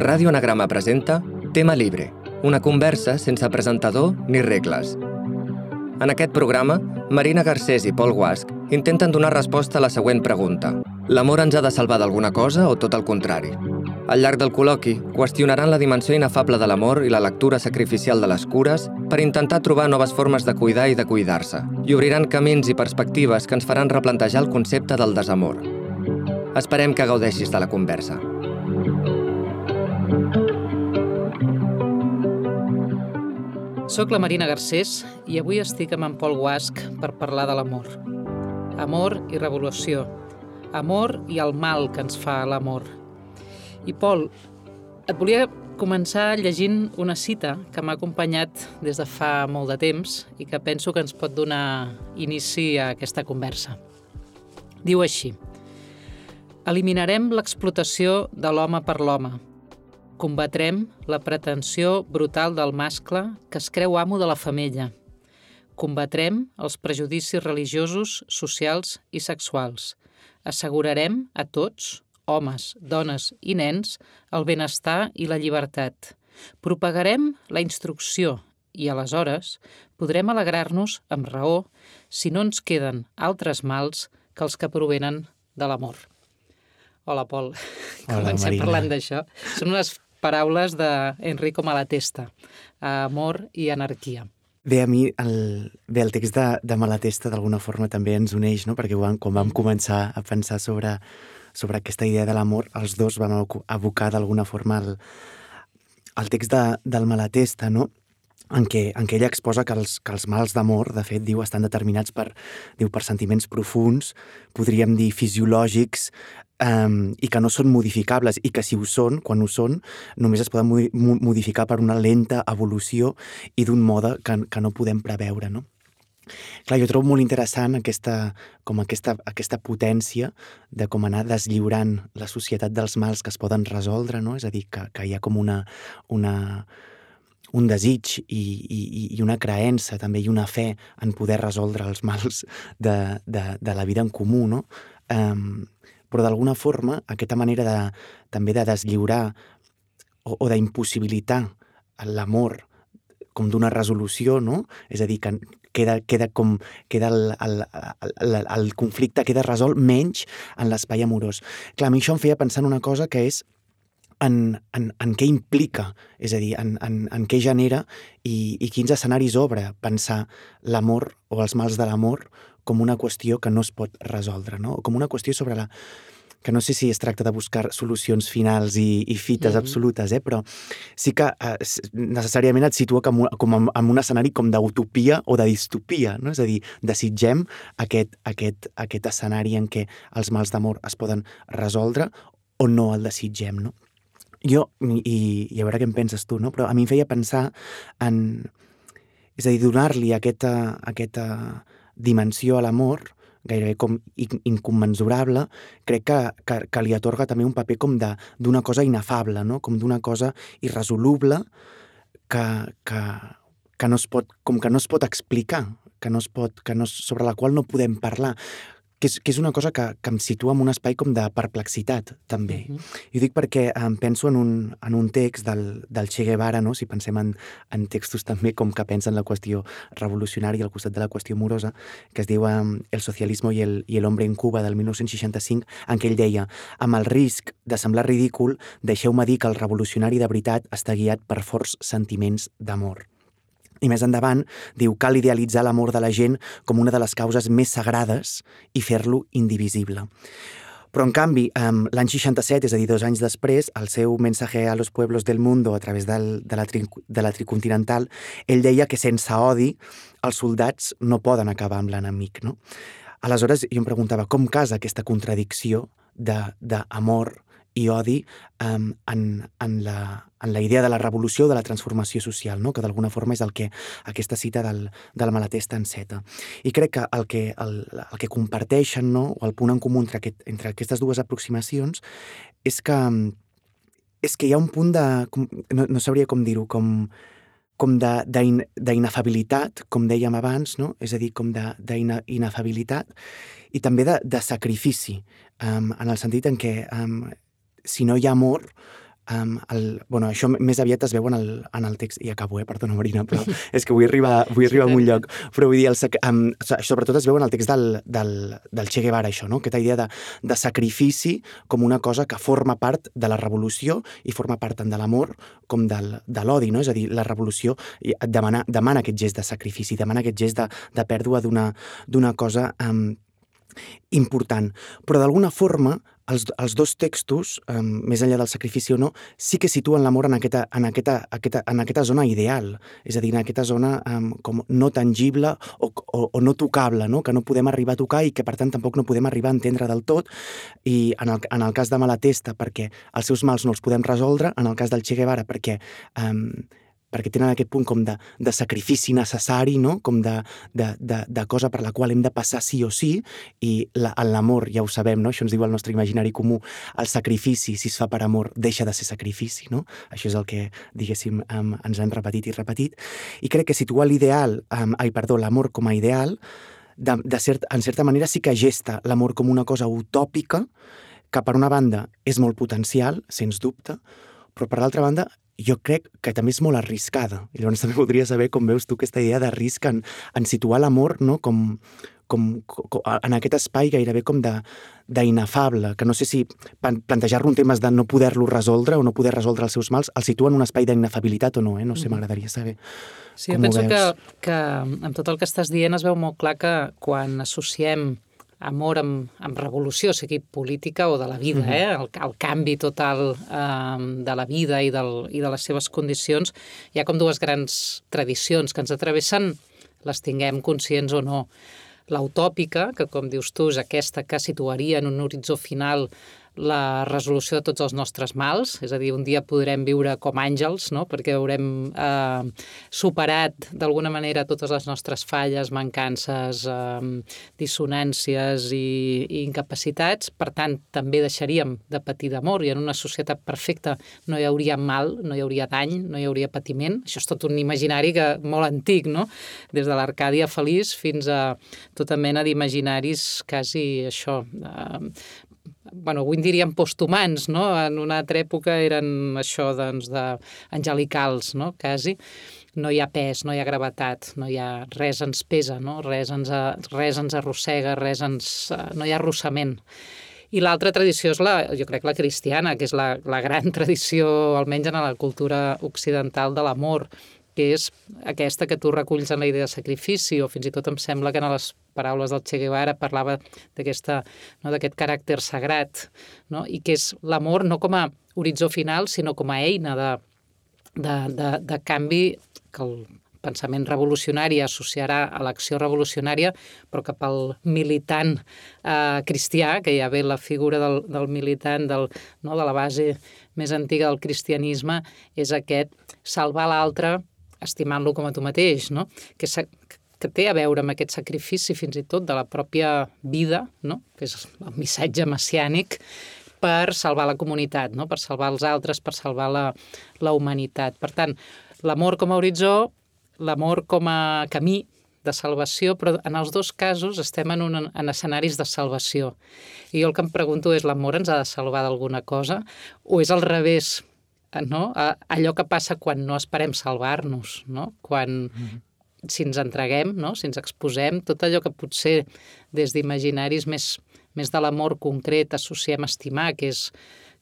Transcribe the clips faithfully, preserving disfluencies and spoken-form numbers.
Ràdio Anagrama presenta Tema Libre, una conversa sense presentador ni regles. En aquest programa, Marina Garcés i Pol Guasch intenten donar resposta a la següent pregunta. L'amor ens ha de salvar d'alguna cosa o tot el contrari? Al llarg del col·loqui, qüestionaran la dimensió inefable de l'amor i la lectura sacrificial de les cures per intentar trobar noves formes de cuidar i de cuidar-se, i obriran camins i perspectives que ens faran replantejar el concepte del desamor. Esperem que gaudeixis de la conversa. Soc la Marina Garcés i avui estic amb en Pol Guasch per parlar de l'amor. Amor i revolució. Amor i el mal que ens fa l'amor. I Pol, et volia començar llegint una cita que m'ha acompanyat des de fa molt de temps i que penso que ens pot donar inici a aquesta conversa. Diu així: eliminarem l'explotació de l'home per l'home. Combatrem la pretensió brutal del mascle que es creu amo de la femella. Combatrem els prejudicis religiosos, socials i sexuals. Assegurarem a tots, homes, dones i nens, el benestar i la llibertat. Propagarem la instrucció i, aleshores, podrem alegrar-nos amb raó si no ens queden altres mals que els que provenen de l'amor. Hola, Pol. Hola, Comencem Marina. parlant d'això. Són unes paraules d'Enrico Malatesta, amor i anarquia. Bé, a mi el, bé, el text de, de Malatesta d'alguna forma també ens uneix, no? Perquè quan, quan vam començar a pensar sobre, sobre aquesta idea de l'amor, els dos vam abocar d'alguna forma el, el text de, del Malatesta, no? En què, en què ella exposa que els, que els mals d'amor, de fet, diu, estan determinats per, diu, per sentiments profuns, podríem dir fisiològics, Um, i que no són modificables, i que si ho són, quan ho són, només es poden modificar per una lenta evolució i d'un mode que, que no podem preveure, no? Clar, jo trobo molt interessant aquesta, com aquesta, aquesta potència de com anar deslliurant la societat dels mals que es poden resoldre, no? És a dir, que, que hi ha com una, una, un desig i, i, i una creença també, i una fe en poder resoldre els mals de, de, de la vida en comú, no? Um, però d'alguna forma aquesta manera de, també de deslliurar o, o d'impossibilitar l'amor com d'una resolució, no? És a dir, que queda, queda com queda el, el, el, el conflicte queda resolt menys en l'espai amorós. Clar, a mi això em feia pensar en una cosa que és en, en, en què implica, és a dir, en, en, en què genera i, i quins escenaris obre pensar l'amor o els mals de l'amor com una qüestió que no es pot resoldre, no? Com una qüestió sobre la... que no sé si es tracta de buscar solucions finals i, i fites mm-hmm. absolutes, eh? Però sí que eh, necessàriament et situa com, com en, en un escenari com d'utopia o de distopia, no? És a dir, desitgem aquest, aquest, aquest escenari en què els mals d'amor es poden resoldre o no el desitgem, no? Jo, i, i a veure què en penses tu, no? Però a mi em feia pensar en... És a dir, donar-li aquesta... aquesta dimensió a l'amor, gairebé com incommensurable, crec que, que, que li atorga també un paper com de, d'una cosa inefable, no? Com d'una cosa irresoluble que, que, que no es pot, com que no es pot explicar, que no es pot, que no, sobre la qual no podem parlar, que és, que és una cosa que, que em situa en un espai com de perplexitat, també. Uh-huh. I ho dic perquè em penso en un, en un text del, del Che Guevara, no? Si pensem en, en textos també com que pensen la qüestió revolucionària al costat de la qüestió amorosa, que es diu um, El socialismo i el, i el hombre en Cuba, del dinou seixanta-cinc, en què ell deia: amb el risc de semblar ridícul, deixeu-me dir que el revolucionari de veritat està guiat per forts sentiments d'amor. I més endavant, diu, cal idealitzar l'amor de la gent com una de les causes més sagrades i fer-lo indivisible. Però, en canvi, l'any seixanta-set, és a dir, dos anys després, el seu Mensaje a los pueblos del mundo a través del, de, la tri, de la tricontinental, ell deia que sense odi els soldats no poden acabar amb l'enemic, no? Aleshores, jo em preguntava, com casa aquesta contradicció d'amor i odi um, en, en, la, en la idea de la revolució, de la transformació social, no? Que d'alguna forma és el que aquesta cita del, del Malatesta enceta. I crec que el que, el, el que comparteixen, no? O el punt en comú entre, aquest, entre aquestes dues aproximacions és que, és que hi ha un punt de... No, no sabria com dir-ho, com, com d'inefabilitat, com dèiem abans, no? És a dir, com d'inefabilitat i també de, de sacrifici, um, en el sentit en què um, si no hi ha amor, Um, el, bueno, això més aviat es veu en el, en el text, i acabo, eh? Perdona, Marina, però és que vull arribar, vull arribar a un lloc. Però vull dir, el, um, sobretot es veu en el text del, del, del Che Guevara, això, no? Aquesta idea de, de sacrifici com una cosa que forma part de la revolució i forma part tant de l'amor com del, de l'odi, no? És a dir, la revolució demana, demana aquest gest de sacrifici, demana aquest gest de, de pèrdua d'una d'una cosa um, important. Però d'alguna forma els, els dos textos, um, més enllà del sacrifici o no, sí que situen l'amor en aquesta, en, aquesta, aquesta, en aquesta zona ideal, és a dir, en aquesta zona um, com no tangible o, o, o no tocable, no? Que no podem arribar a tocar i que per tant tampoc no podem arribar a entendre del tot, i en el, en el cas de Malatesta perquè els seus mals no els podem resoldre, en el cas del Che Guevara perquè um, perquè tenen aquest punt com de, de sacrifici necessari, no? Com de, de, de, de cosa per la qual hem de passar sí o sí, i la, en l'amor, ja ho sabem, no? Això ens diu el nostre imaginari comú, el sacrifici, si es fa per amor, deixa de ser sacrifici, no? Això és el que, diguéssim, um, ens han repetit i repetit, i crec que situar l'ideal, um, ai, perdó, l'amor com a ideal, de, de cert, en certa manera sí que gesta l'amor com una cosa utòpica, que per una banda és molt potencial, sens dubte, però per l'altra banda jo crec que també és molt arriscada. I llavors també voldria saber com veus tu aquesta idea de risc en, en situar l'amor, no? com, com, com, en aquest espai gairebé com de d'inefable, que no sé si plantejar-lo en temes de no poder-lo resoldre o no poder resoldre els seus mals, el situa en un espai d'inefabilitat o no, eh? No sé, m'agradaria saber sí, com ho veus. Sí, jo penso que, que amb tot el que estàs dient es veu molt clar que quan associem amor amb, amb revolució, sigui política o de la vida, eh? el, el canvi total eh, de la vida i, del, i de les seves condicions, hi ha com dues grans tradicions que ens atravessen, les tinguem conscients o no. L'utòpica, que com dius tu és aquesta que situaria en un horitzó final la resolució de tots els nostres mals, és a dir, un dia podrem viure com àngels, no? Perquè haurem eh, superat d'alguna manera totes les nostres falles, mancances, eh, dissonàncies i, i incapacitats, per tant, també deixaríem de patir d'amor i en una societat perfecta no hi hauria mal, no hi hauria dany, no hi hauria patiment. Això és tot un imaginari que, molt antic, no? Des de l'Arcàdia feliç fins a tota mena d'imaginaris quasi això, eh, bueno, avui en diríem posthumans, no? En una altra època eren això, doncs, d'angelicals, no? Quasi. No hi ha pes, no hi ha gravetat, no hi ha res ens pesa, no? Res ens, res ens arrossega, res ens, no hi ha arrossament. I l'altra tradició és la, jo crec, la cristiana, que és la, la gran tradició, almenys en la cultura occidental, de l'amor, que és aquesta que tu reculls en la idea de sacrifici, o fins i tot em sembla que en les paraules del Che Guevara parlava d'aquesta, no, d'aquest caràcter sagrat, no? I que és l'amor no com a horitzó final, sinó com a eina de, de, de, de canvi que el pensament revolucionari associarà a l'acció revolucionària, però que pel militant eh, cristià, que ja ve la figura del, del militant, del, no, de la base més antiga del cristianisme, és aquest salvar l'altre estimant-lo com a tu mateix, no? Que, que té a veure amb aquest sacrifici fins i tot de la pròpia vida, no? Que és el missatge messiànic, per salvar la comunitat, no? Per salvar els altres, per salvar la, la humanitat. Per tant, l'amor com a horitzó, l'amor com a camí de salvació, però en els dos casos estem en, un, en escenaris de salvació. I jo el que em pregunto és, l'amor ens ha de salvar d'alguna cosa o és al revés, no? Allò que passa quan no esperem salvar-nos, no? Quan, mm-hmm. si ens entreguem, no? Si ens exposem, tot allò que potser des d'imaginaris més, més de l'amor concret associem a estimar, que és,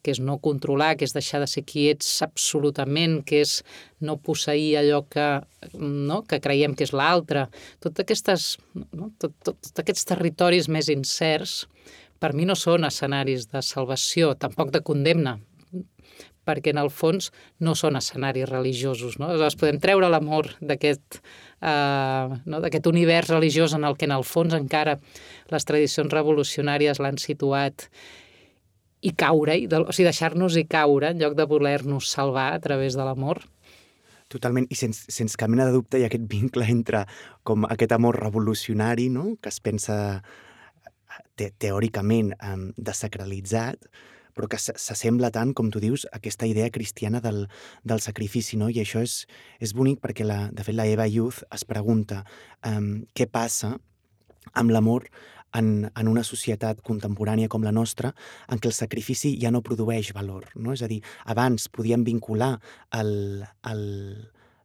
que és no controlar, que és deixar de ser qui ets absolutament, que és no posseir allò que, no? Que creiem que és l'altre. Tots aquestes, no? tot, tot, tot aquests territoris més incerts, per mi no són escenaris de salvació, tampoc de condemna, perquè en el fons no són escenaris religiosos, no? Aleshores podem treure l'amor d'aquest eh, no? d'aquest univers religiós en el que en el fons encara les tradicions revolucionàries l'han situat i caure, o sigui, deixar-nos-hi caure en lloc de voler-nos salvar a través de l'amor. Totalment, i sense, sense cap mena de dubte hi ha aquest vincle entre com aquest amor revolucionari, no? Que es pensa te teòricament um, desacralitzat, però que s'assembla tant, com tu dius, a aquesta idea cristiana del, del sacrifici, no? I això és, és bonic perquè, la, de fet, la Eva Youth es pregunta um, què passa amb l'amor en, en una societat contemporània com la nostra en què el sacrifici ja no produeix valor, no? És a dir, abans podíem vincular el, el,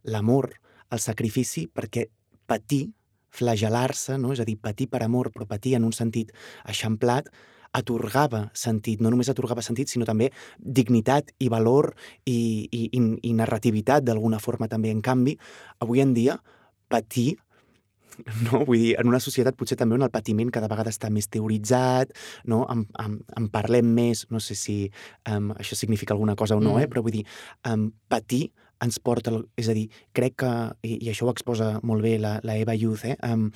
l'amor al sacrifici perquè patir, flagel·lar-se, no? És a dir, patir per amor, però patir en un sentit eixamplat, atorgava sentit, no només atorgava sentit, sinó també dignitat i valor i, i, i, i narrativitat d'alguna forma també. En canvi, avui en dia, patir, no? Vull dir, en una societat potser també on el patiment cada vegada està més teoritzat, no? En, en, en parlem més, no sé si um, això significa alguna cosa o no, mm. eh? Però vull dir, um, patir ens porta, és a dir, crec que, i, i això ho exposa molt bé la, la Eva Youth, eh? Um,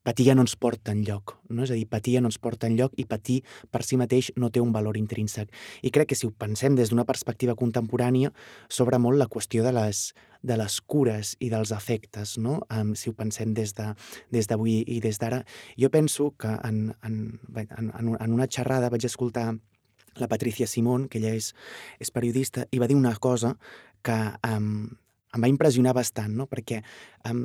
patir ja no ens porta enlloc, no? És a dir, patir ja no ens porta enlloc i patir per si mateix no té un valor intrínsec. I crec que si ho pensem des d'una perspectiva contemporània, s'obre molt la qüestió de les, de les cures i dels afectes, no? Um, si ho pensem des de, des d'avui i des d'ara. Jo penso que en, en, en, en una xerrada vaig escoltar la Patricia Simón, que ella és, és periodista, i va dir una cosa que um, em va impressionar bastant, no? Perquè um,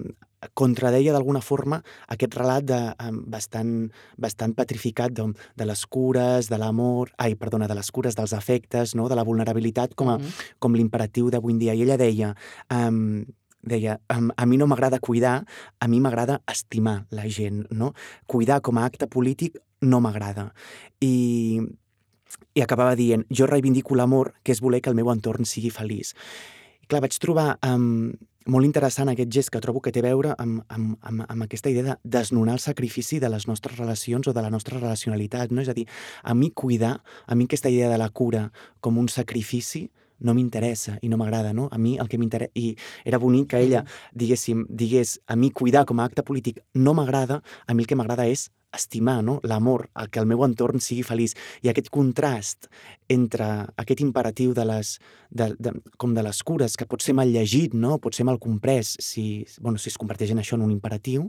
contradeia d'alguna forma aquest relat de, um, bastant, bastant petrificat de, de les cures, de l'amor, ai, perdona, de les cures, dels afectes, no? De la vulnerabilitat com, a, mm-hmm. com l'imperatiu d'avui en dia. I ella deia, um, deia um, a mi no m'agrada cuidar, a mi m'agrada estimar la gent, no? Cuidar com a acte polític no m'agrada. I, i acabava dient, jo reivindico l'amor, que és voler que el meu entorn sigui feliç. I clar, vaig trobar um, molt interessant aquest gest que trobo que té a veure amb, amb, amb, amb aquesta idea de desnonar el sacrifici de les nostres relacions o de la nostra relacionalitat, no? És a dir, a mi cuidar, a mi aquesta idea de la cura com un sacrifici no m'interessa i no m'agrada, no? A mi el que m'interessa... I era bonic que ella, diguéssim, digués a mi cuidar com a acte polític no m'agrada, a mi el que m'agrada és estimar, no? L'amor, el que el meu entorn sigui feliç. I aquest contrast entre aquest imperatiu de les, de, de, com de les cures, que pot ser mal llegit, no? Pot ser mal comprès si, bueno, si es converteix en això en un imperatiu,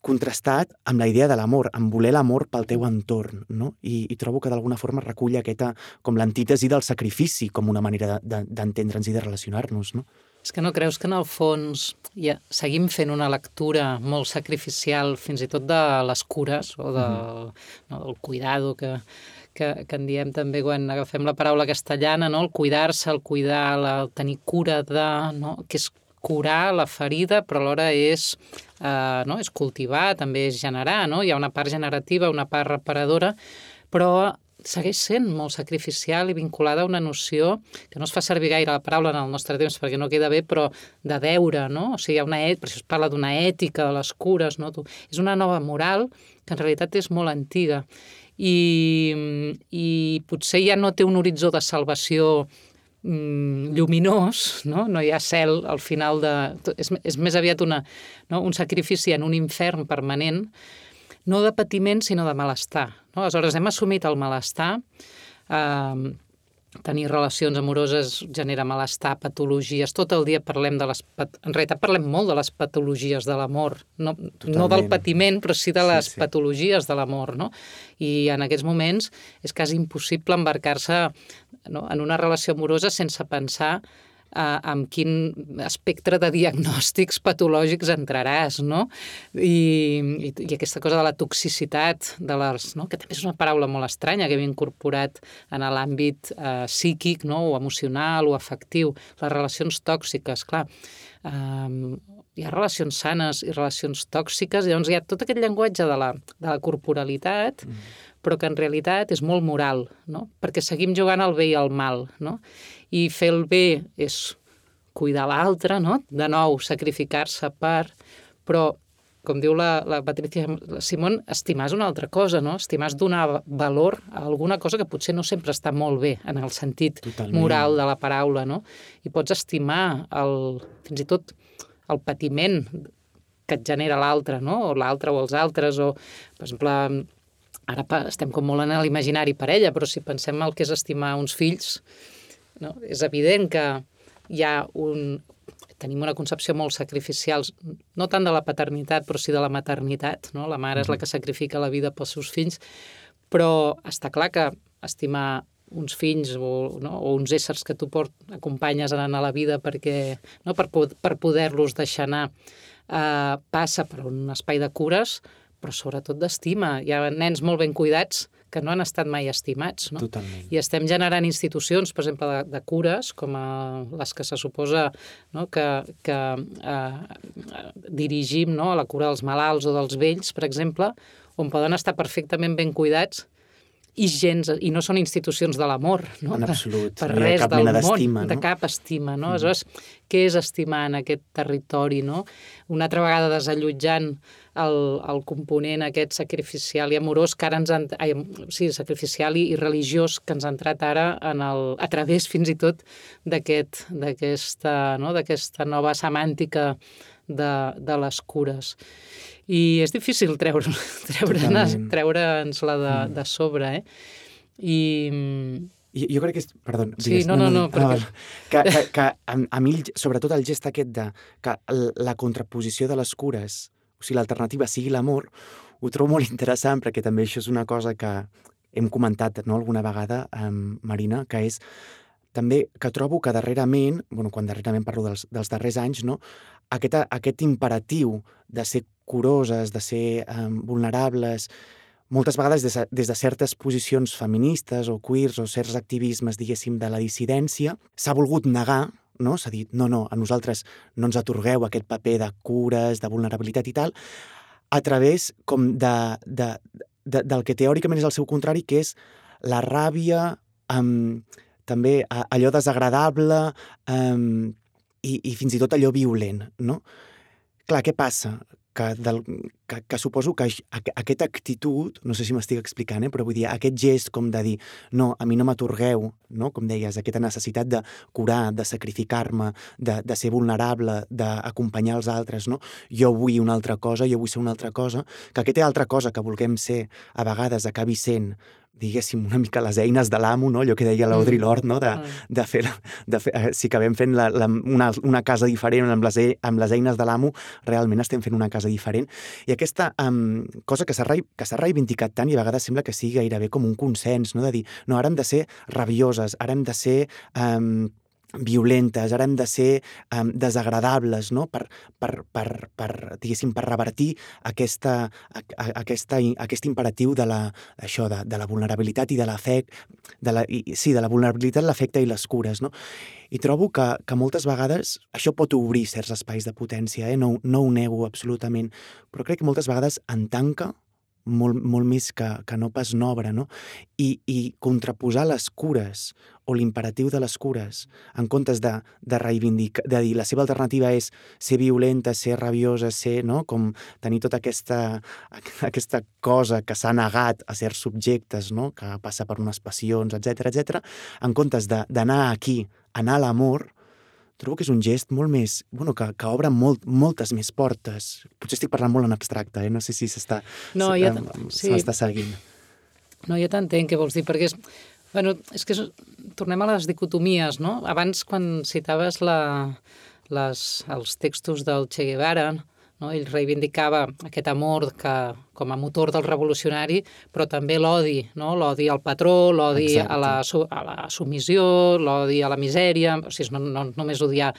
contrastat amb la idea de l'amor, amb voler l'amor pel teu entorn, no? I, i trobo que d'alguna forma recull aquesta, com l'antítesi del sacrifici, com una manera de, de, d'entendre'ns i de relacionar-nos, no? És que no creus que en el fons ja seguim fent una lectura molt sacrificial fins i tot de les cures o de, mm-hmm. no, del cuidado que, que, que en diem també quan agafem la paraula castellana, no? El cuidar-se, el cuidar, la, el tenir cura de... No? Que és curar la ferida, però alhora és, eh, no? És cultivar, també és generar, no? Hi ha una part generativa, una part reparadora, però segueix sent molt sacrificial i vinculada a una noció que no es fa servir gaire la paraula en el nostre temps perquè no queda bé, però de deure, no? O sigui, hi ha una ètica, per això es parla d'una ètica de les cures, no? És una nova moral que en realitat és molt antiga i, i potser ja no té un horitzó de salvació mm, lluminós, no? No hi ha cel al final de... És, és més aviat una, no? Un sacrifici en un infern permanent, no de patiment, sinó de malestar. No? Aleshores, hem assumit el malestar, eh, tenir relacions amoroses genera malestar, patologies, tot el dia parlem de les... En realitat parlem molt de les patologies de l'amor, no, no del patiment, però sí de les sí, sí. patologies de l'amor, no? I en aquests moments és quasi impossible embarcar-se, no? En una relació amorosa sense pensar Uh, amb quin espectre de diagnòstics patològics entraràs, no? I, i, i aquesta cosa de la toxicitat, de les, no? Que també és una paraula molt estranya que hem incorporat en l'àmbit uh, psíquic, no? O emocional o afectiu. Les relacions tòxiques, clar. Um, hi ha relacions sanes i relacions tòxiques, i llavors hi ha tot aquest llenguatge de la, de la corporalitat, mm. però que en realitat és molt moral, no? Perquè seguim jugant al bé i al mal, no? I fer el bé és cuidar l'altre, no? De nou, sacrificar-se per... Però, com diu la, la Patricia Simón, estimar és una altra cosa, no? Estimar és donar valor a alguna cosa que potser no sempre està molt bé en el sentit Totalment. Moral de la paraula, no? I pots estimar el, fins i tot el patiment que et genera l'altre, no? O l'altre o els altres, o, per exemple, ara estem com molt en l'imaginari parella, però si pensem el que és estimar uns fills, no? És evident que hi ha un... Tenim una concepció molt sacrificial, no tant de la paternitat, però sí de la maternitat, no? La mare és la que sacrifica la vida pels seus fills, però està clar que estimar uns fills o, no? o uns éssers que tu port, acompanyes anant a la vida perquè, no? per, per poder-los deixar anar, eh, passa per un espai de cures, però sobretot d'estima. Hi ha nens molt ben cuidats que no han estat mai estimats, no? Totalment. I estem generant institucions, per exemple, de, de cures, com a les que se suposa, no? que, que eh, dirigim, no? A la cura dels malalts o dels vells, per exemple, on poden estar perfectament ben cuidats i gens, i no són institucions de l'amor, no? En absolut. Per, per no hi ha res cap del mena món, d'estima, no? de cap estima, no? Mm. Aleshores, què és estimar en aquest territori, no? Una altra vegada desallotjant el, el component aquest sacrificial i amorós que ara ens han... Ai, sí, sacrificial i, i religiós que ens ha entrat ara en el, a través fins i tot d'aquest, d'aquesta, no? d'aquesta nova semàntica de, de les cures. I és difícil treure, treure'ns treure'ns la de, de sobre, eh? I... Jo, jo crec que és... Perdó, sí, digues. no, no, no. no perquè... Que, que, que a, a mi, sobretot el gest aquest de que la contraposició de les cures, o sigui, l'alternativa sigui l'amor, ho trobo molt interessant, perquè també això és una cosa que hem comentat, no?, alguna vegada, amb Marina, que és també que trobo que darrerament, bueno, quan darrerament parlo dels, dels darrers anys, no?, aquest, aquest imperatiu de ser curoses, de ser um, vulnerables, moltes vegades des de, des de certes posicions feministes o queers o certs activismes, diguéssim, de la dissidència, s'ha volgut negar, no? S'ha dit, no, no, a nosaltres no ens atorgueu aquest paper de cures, de vulnerabilitat i tal, a través com de, de, de, del que teòricament és el seu contrari, que és la ràbia, um, també allò desagradable um, i, i fins i tot allò violent, no? Clar, què passa? Que, del, que, que suposo que aquesta actitud, no sé si m'estic explicant, eh, però vull dir, aquest gest com de dir no, a mi no m'atorgueu, no? Com deies, aquesta necessitat de curar, de sacrificar-me, de, de ser vulnerable, d'acompanyar els altres, no? Jo vull una altra cosa, jo vull ser una altra cosa, que aquesta altra cosa que vulguem ser a vegades acabi sent, diguéssim, una mica les eines de l'amo, no? Allò que deia l'Audre Lorde, no? De, de fer, de fer, si acabem fent la, la, una, una casa diferent amb les, amb les eines de l'amo, realment estem fent una casa diferent. I aquesta um, cosa que s'ha que s'ha reivindicat tant i a vegades sembla que sigui gairebé com un consens, no? De dir, no, ara hem de ser rabioses, ara hem de ser... Um, violentes, ara hem de ser um, desagradables, no? Per, per, per, per, diguéssim, per revertir aquesta, a, aquesta, aquest imperatiu de la, això, de, de la vulnerabilitat i de l'afecte, de la, i, sí, de la vulnerabilitat, l'afecte i les cures, no? I trobo que, que moltes vegades això pot obrir certs espais de potència, eh? no, no ho nego absolutament, però crec que moltes vegades en tanca molt, molt més que, que no pas n'obre, no? I, i contraposar les cures o l'imperatiu de les cures en comptes de, de reivindicar, de dir la seva alternativa és ser violenta, ser rabiosa, ser, no? Com tenir tota aquesta, aquesta cosa que s'ha negat a certs subjectes, no? Que passa per unes passions, etcètera, etcètera, en comptes d'anar aquí, anar a l'amor, trobo que és un gest molt més... Bueno, que, que obre molt, moltes més portes. Potser estic parlant molt en abstracte, eh? No sé si s'està no, ja sí. seguint. No, ja t'entenc què vols dir, perquè és... Bueno, és que és, tornem a les dicotomies, no? Abans, quan citaves la, les, els textos del Che Guevara, no? Ell reivindicava aquest amor que, com a motor del revolucionari, però també l'odi, no? L'odi al patró, l'odi a la, a la submissió, l'odi a la misèria, o sigui, no, no només odiar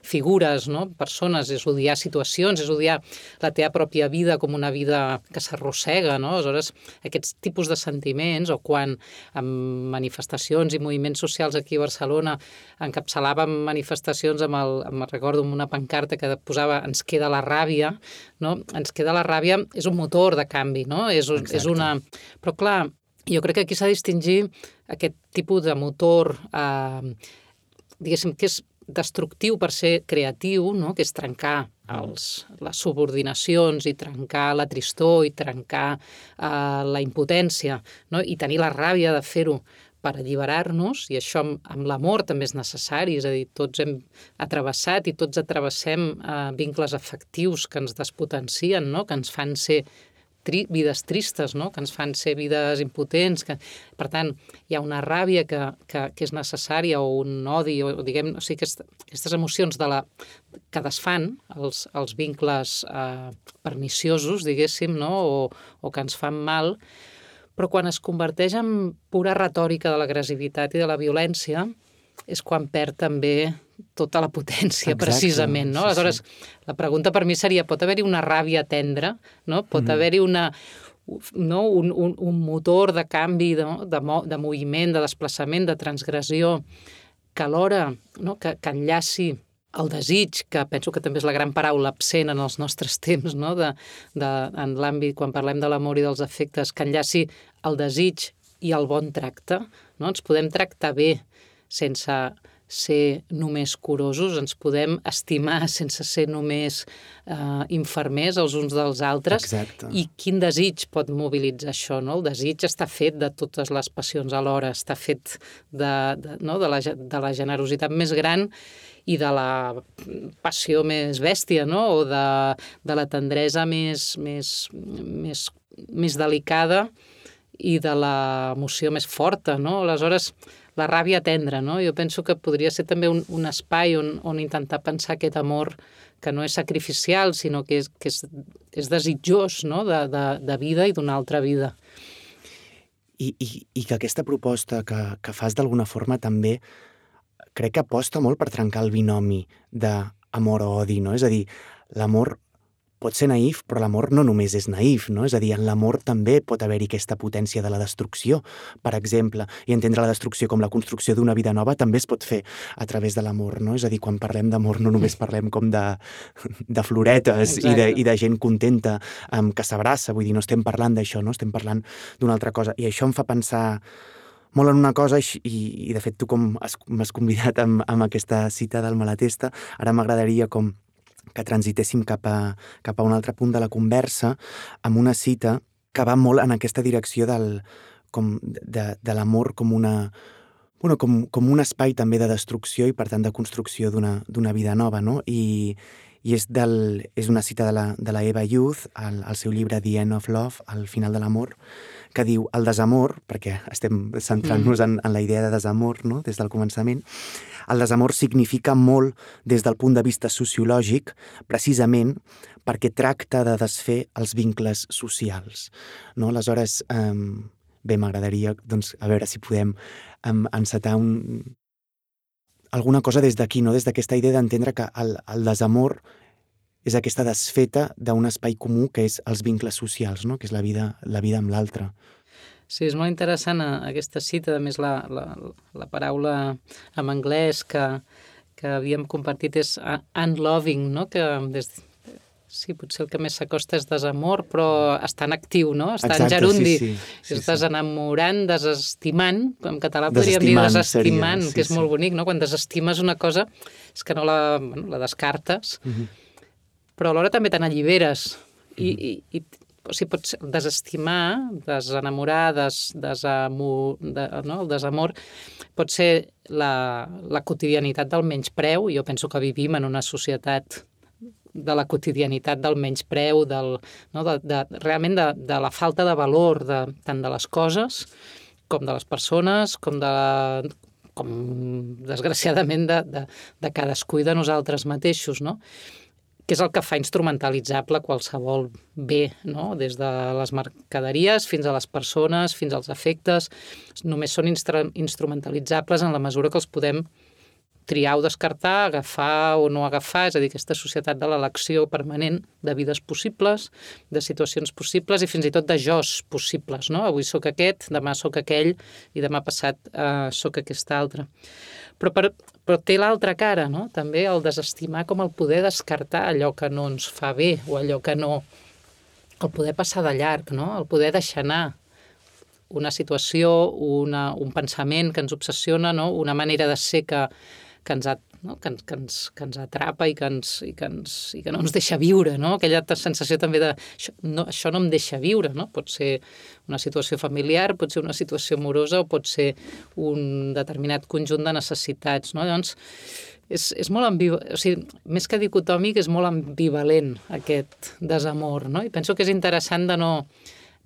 figures, no? Persones, és odiar situacions, és odiar la teva pròpia vida com una vida que s'arrossega, no? Aleshores, aquests tipus de sentiments, o quan en manifestacions i moviments socials aquí a Barcelona encapçalàvem manifestacions amb el, em recordo, amb una pancarta que posava "ens queda la ràbia", no? Ens queda la ràbia és un motor de canvi, no? És, és una... Però clar, jo crec que aquí s'ha de distingir aquest tipus de motor, eh, diguéssim, que és destructiu per ser creatiu, no? Que és trencar els, les subordinacions i trencar la tristor i trencar eh, la impotència, no? I tenir la ràbia de fer-ho per alliberar-nos, i això amb, amb l'amor també és necessari, és a dir, tots hem atravessat i tots atravessem eh, vincles afectius que ens despotencien, no? Que ens fan ser tri vides tristes, no? Que ens fan ser vides impotents. Que... Per tant, hi ha una ràbia que, que, que és necessària, o un odi, o diguem, o sigui, aquest, aquestes emocions de la, que desfan els, els vincles eh, perniciosos, diguéssim, no? O, o que ens fan mal, però quan es converteix en pura retòrica de l'agressivitat i de la violència, és quan perd també tota la potència, Exacte, precisament, no? sí, Aleshores, sí. la pregunta per mi seria, pot haver-hi una ràbia tendra, no? Pot Mhm. haver-hi una, no? un, un, un motor de canvi, de, de, mo, de moviment, de desplaçament, de transgressió, que alhora, no? que, que enllaci el desig, que penso que també és la gran paraula absent en els nostres temps, no? de, de, en l'àmbit, quan parlem de l'amor i dels afectes, que enllaci el desig i el bon tracte, no? Ens podem tractar bé sense ser només curosos, ens podem estimar sense ser només eh, infermers els uns dels altres. Exacte. I quin desig pot mobilitzar això, no? El desig està fet de totes les passions alhora, està fet de, de, no? de, la, de la generositat més gran i de la passió més bèstia, no? O de, de la tendresa més, més, més, més delicada i de l'emoció més forta, no? Aleshores, la ràbia tendra, no? Jo penso que podria ser també un, un espai on, on intentar pensar aquest amor que no és sacrificial, sinó que és, que és, és desitjós, no? de, de, de vida i d'una altra vida. I, i, I que aquesta proposta que, que fas d'alguna forma també crec que aposta molt per trencar el binomi d'amor o odi, no? És a dir, l'amor pot ser naïf, però l'amor no només és naïf, no? És a dir, en l'amor també pot haver-hi aquesta potència de la destrucció, per exemple, i entendre la destrucció com la construcció d'una vida nova també es pot fer a través de l'amor, no? És a dir, quan parlem d'amor no només parlem com de, de floretes i de, i de gent contenta um, que s'abraça, vull dir, no estem parlant d'això, no? Estem parlant d'una altra cosa. I això em fa pensar molt en una cosa, i, i de fet tu com m'has convidat amb, amb aquesta cita del Malatesta, ara m'agradaria com que transitéssim cap a, cap a un altre punt de la conversa amb una cita que va molt en aquesta direcció del, com de, de l'amor com una bueno, com, com un espai també de destrucció i per tant de construcció d'una d'una vida nova, no? I, i és, del, és una cita de la, de la Eva Youth al, al seu llibre The End of Love, al final de l'amor, que diu el desamor, perquè estem centrant-nos en, en la idea de desamor, no? Des del començament, el desamor significa molt des del punt de vista sociològic, precisament perquè tracta de desfer els vincles socials, no? Aleshores, eh, bé, m'agradaria, doncs, a veure si podem eh, encetar un, alguna cosa des d'aquí, no? Des d'aquesta idea d'entendre que el, el desamor és aquesta desfeta d'un espai comú que és els vincles socials, no? Que és la vida, la vida amb l'altre. Sí, és molt interessant aquesta cita, a més la, la, la paraula en anglès que, que havíem compartit és unloving, no? Que des, sí, potser el que més s'acosta és desamor, però està en actiu, no? Està Exacte, en gerundi. sí, sí, sí, és desenamorant, desestimant, en català podríem desestimant, dir desestimant, seria, sí, que és sí. molt bonic, no? Quan desestimes una cosa és que no la, bueno, la descartes, Mhm. però alhora també te n'alliberes. I, i, i o sigui, pots desestimar, desenamorar, des, desamor, de, no? El desamor pot ser la, la quotidianitat del menyspreu. Jo penso que vivim en una societat de la quotidianitat del menyspreu, del, no? de, de, realment de, de la falta de valor de, tant de les coses com de les persones, com de com desgraciadament de, de, de cadascú i de nosaltres mateixos, no? Que és el que fa instrumentalitzable qualsevol bé, no? Des de les mercaderies fins a les persones, fins als afectes. Només són instra- instrumentalitzables en la mesura que els podem triar o descartar, agafar o no agafar, és a dir, aquesta societat de l'elecció permanent de vides possibles, de situacions possibles i fins i tot de jós possibles, no? Avui sóc aquest, demà sóc aquell i demà passat eh, sóc aquest altre. Però, per, però té l'altra cara, no? També el desestimar com el poder descartar allò que no ens fa bé o allò que no... el poder passar de llarg, no? El poder deixar anar una situació, una, un pensament que ens obsessiona, no? Una manera de ser que, que, ens, ha, no? que, ens, que, ens, que ens atrapa i que, ens, i, que ens, i que no ens deixa viure, no? Aquella sensació també de això no, això no em deixa viure, no? Pot ser una situació familiar, pot ser una situació amorosa o pot ser un determinat conjunt de necessitats, no? Llavors, és, és molt ambivalent, o sigui, més que dicotòmic, és molt ambivalent aquest desamor, no? I penso que és interessant de no,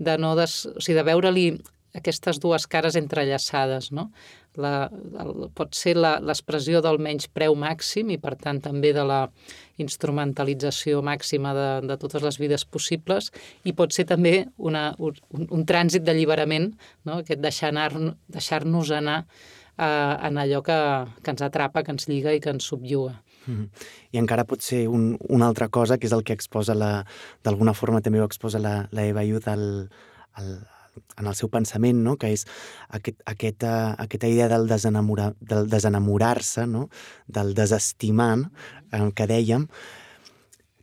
de no des, o sigui, de veure-li aquestes dues cares entrellaçades, no? La, el, pot ser l'expressió del menyspreu màxim i, per tant, també de la instrumentalització màxima de, de totes les vides possibles i pot ser també una, un, un trànsit d'alliberament, no? Aquest deixar anar, deixar-nos anar eh, en allò que, que ens atrapa, que ens lliga i que ens subjua. Mm. I encara pot ser un, una altra cosa, que és el que exposa la, d'alguna forma també ho exposa la, la Eva Youth al, al, en el seu pensament, no? Que és aquest, aquesta, aquesta idea del, desenamora, del desenamorar-se, no? Del desestimant, eh, que dèiem,